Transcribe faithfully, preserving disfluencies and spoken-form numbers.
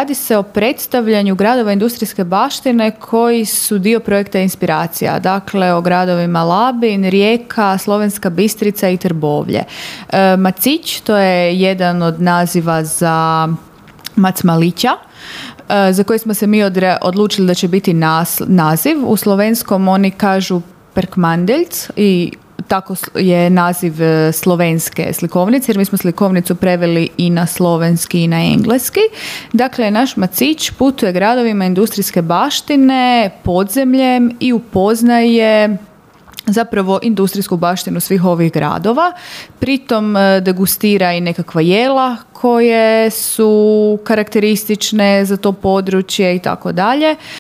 radi se o predstavljanju gradova industrijske baštine koji su dio projekta Inspiracija. Dakle, o gradovima Labin, Rijeka, Slovenska Bistrica i Trbovlje. E, Macić, to je jedan od naziva za Macmalića, za koji smo se mi odre, odlučili da će biti nas, naziv. U slovenskom oni kažu Perkmandeljc i tako je naziv slovenske slikovnice, jer mi smo slikovnicu preveli i na slovenski i na engleski. Dakle, naš Macić putuje gradovima industrijske baštine, podzemljem i upoznaje zapravo industrijsku baštinu svih ovih gradova. Pritom degustira i nekakva jela koje su karakteristične za to područje i tako dalje.